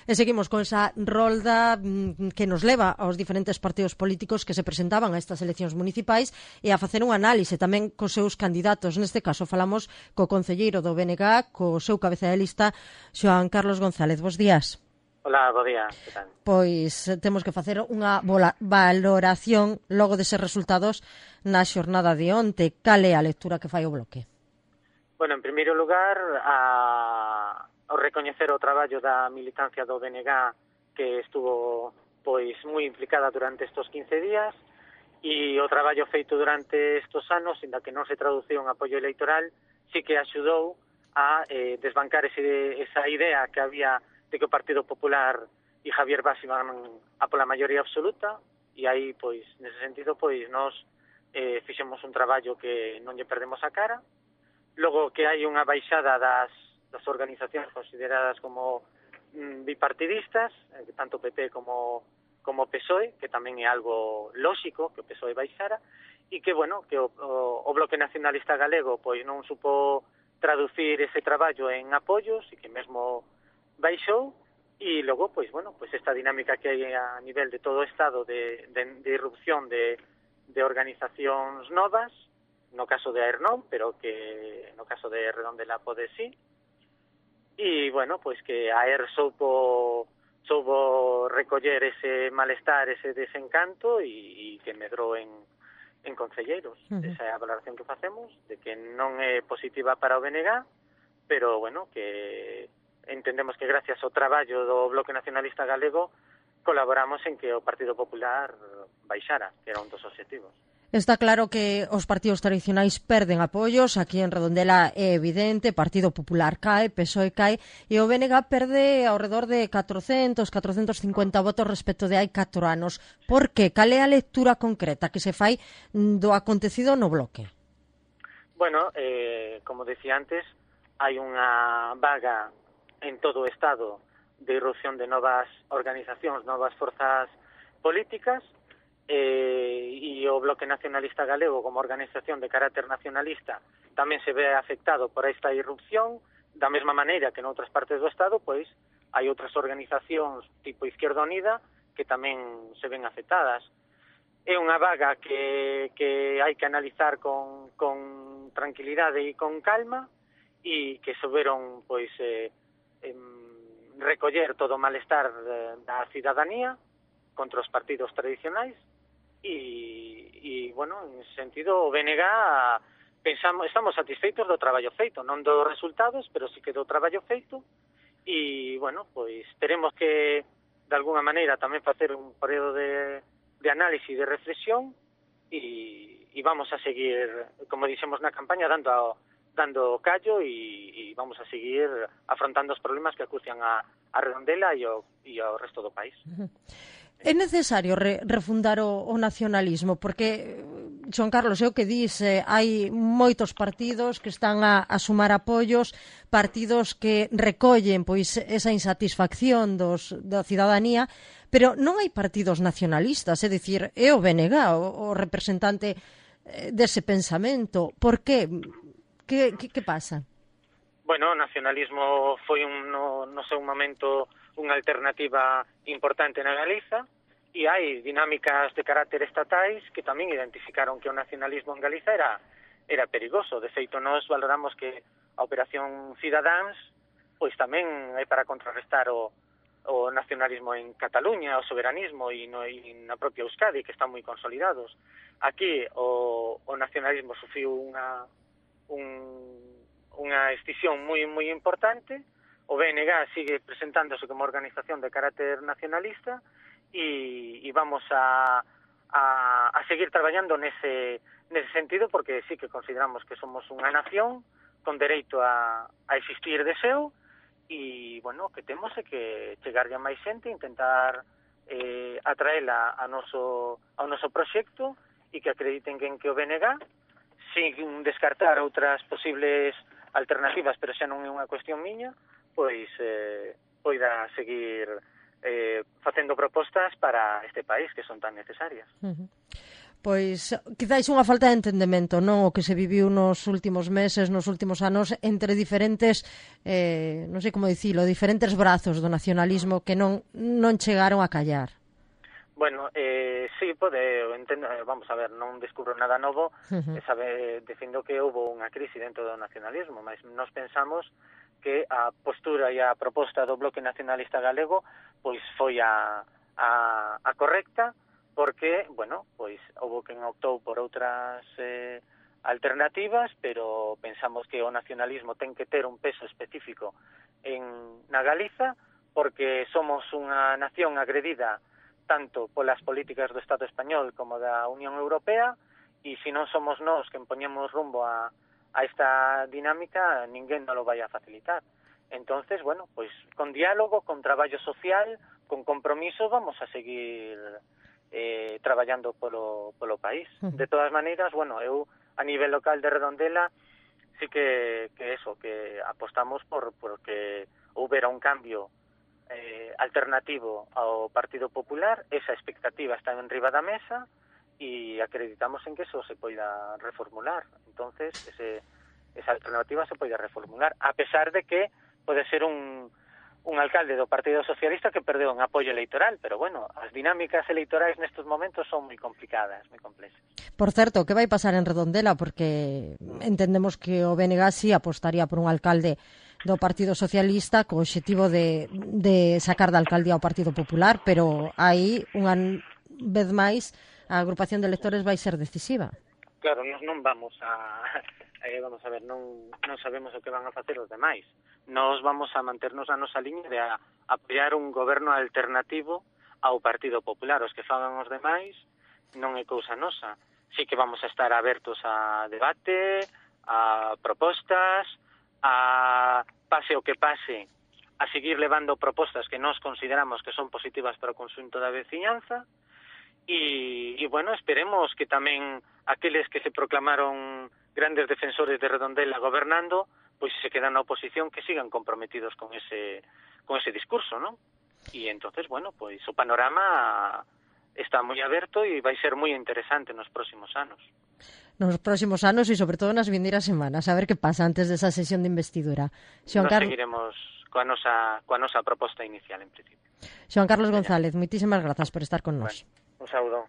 E seguimos con esa rolda que nos leva aos diferentes partidos políticos que se presentaban a estas eleccións municipais e a facer un análise tamén cos seus candidatos. Neste caso falamos co concelleiro do BNG, co seu cabeza de lista, Xoán Carlos González. Bos días. Hola, bo día, que tal? Pois temos que facer unha valoración logo deses resultados na xornada de onte. Cal é a lectura que fai o Bloque? Bueno, en primeiro lugar, ao recoñecer o traballo da militancia do BNG que estuvo pois moi implicada durante estes 15 días e o traballo feito durante estes anos, inda que non se traduciu en apoio electoral, sí que axudou a desbancar esa idea que había de que o Partido Popular e Javier Bas iban a pola maioría absoluta, e aí, pois, nese sentido, pois, nós fixemos un traballo que non lle perdemos a cara. Logo que hai unha baixada das organizacións consideradas como bipartidistas, tanto PP como PSOE, que tamén é algo lóxico que o PSOE baixara, e que, bueno, que o Bloque Nacionalista Galego, pois, non supo traducir ese traballo en apoios e que mesmo baixou, e logo, pois, bueno, pois esta dinámica que hai a nivel de todo o Estado de irrupción de organizacións novas, no caso de AER non, pero que no caso de Redondela pode sí, e, bueno, pois que AER soubo recoller ese malestar, ese desencanto, e que medrou en concelleiros. Esa é a valoración que facemos, de que non é positiva para o BNG, pero, bueno, que entendemos que gracias ao traballo do Bloque Nacionalista Galego colaboramos en que o Partido Popular baixara, que era un dos obxectivos. Está claro que os partidos tradicionais perden apoios, aquí en Redondela é evidente, Partido Popular cae, PSOE cae, e o BNG perde ao redor de 450 votos respecto de hai 4 anos. Por que? Cal é a lectura concreta que se fai do acontecido no Bloque? Bueno, como decía antes, hai unha vaga en todo o Estado de irrupción de novas organizacións, novas forzas políticas, e o Bloque Nacionalista Galego como organización de carácter nacionalista tamén se ve afectado por esta irrupción, da mesma maneira que en outras partes do Estado, pois hai outras organizacións tipo Izquierda Unida que tamén se ven afectadas. É unha vaga que hai que analizar con tranquilidade e con calma, e que souberon, pois, recoller todo o malestar da cidadanía contra os partidos tradicionais e bueno, en ese sentido o BNG estamos satisfeitos do traballo feito, non dos resultados, pero sí que do traballo feito, e bueno, pois teremos que de alguna maneira tamén facer un período de análisis e de reflexión, e vamos a seguir, como dixemos na campaña, dando callo, e vamos a seguir afrontando os problemas que acucian a Redondela e ao resto do país. É necesario refundar o nacionalismo, porque, Xoán Carlos, é o que dis, hai moitos partidos que están a sumar apoios, partidos que recollen pois esa insatisfacción da cidadanía, pero non hai partidos nacionalistas, é dicir, é o BNG o representante dese pensamento. Por que? Que pasa? Bueno, o nacionalismo foi no seu momento unha alternativa importante na Galiza, e hai dinámicas de carácter estatais que tamén identificaron que o nacionalismo en Galiza era perigoso. De feito, nós valoramos que a Operación Cidadáns pois tamén é para contrarrestar o nacionalismo en Cataluña, o soberanismo, e na propia Euskadi, que están moi consolidados. Aquí o nacionalismo sufriu unha escisión moi importante. O BNG sigue presentándose como organización de carácter nacionalista, e vamos a seguir traballando nese sentido, porque sí que consideramos que somos unha nación con dereito a existir de seu, e, bueno, que temos é que chegarlle a máis xente, intentar atraela ao noso proxecto, e que acrediten que o BNG, sin descartar outras posibles alternativas, pero xa non é unha cuestión miña, pois poida seguir facendo propostas para este país que son tan necesarias. Pois, quizáis unha falta de entendemento, non? O que se viviu nos últimos meses, nos últimos anos, entre diferentes, non sei como dicilo, diferentes brazos do nacionalismo que non chegaron a callar. Bueno, sí, entendo, vamos a ver, non descubro nada novo, dicindo que houve unha crise dentro do nacionalismo, mas nos pensamos que a postura e a proposta do Bloque Nacionalista Galego pois foi a correcta, porque, bueno, pois houve quen optou por outras alternativas, pero pensamos que o nacionalismo ten que ter un peso específico na Galiza, porque somos unha nación agredida tanto polas políticas do Estado español como da Unión Europea, e se non somos nós que poñemos rumbo a esta dinámica, ninguén non lo vai a facilitar. Entonces, bueno, pois con diálogo, con traballo social, con compromiso, vamos a seguir traballando polo país. De todas maneiras, bueno, eu a nivel local de Redondela sí que apostamos por que houbera un cambio alternativo ao Partido Popular. Esa expectativa está en riba da mesa e acreditamos en que eso se poida reformular. Entonces, esa alternativa se poida reformular, a pesar de que pode ser un alcalde do Partido Socialista que perdeu un apoio electoral, pero bueno, as dinámicas electorais nestes momentos son moi complicadas, moi complexas. Por certo, que vai pasar en Redondela? Porque entendemos que o BNG sí apostaría por un alcalde do Partido Socialista co obxectivo de sacar da alcaldía ao Partido Popular, pero aí, unha vez máis, a agrupación de electores vai ser decisiva. Claro, nós non vamos a ver, non sabemos o que van a facer os demais. Nós vamos a manternos a nosa liña de apoiar un goberno alternativo ao Partido Popular. Os que fagan os demais non é cousa nosa. Sí que vamos a estar abertos a debate, a propostas, a pase o que pase, a seguir levando propostas que nós consideramos que son positivas para o conxunto da veciñanza. E bueno, esperemos que tamén aqueles que se proclamaron grandes defensores de Redondela gobernando, pois se quedan na oposición, que sigan comprometidos con ese discurso, ¿no? E entonces, bueno, pois o panorama está moi aberto e vai ser moi interesante nos próximos anos. Nos próximos anos e sobre todo nas vindeiras semanas, a ver que pasa antes desa sesión de investidura. Seguiremos coa nosa proposta inicial, en principio. Xoan Carlos González, moitísimas grazas por estar con nós. Bueno, un saúdo.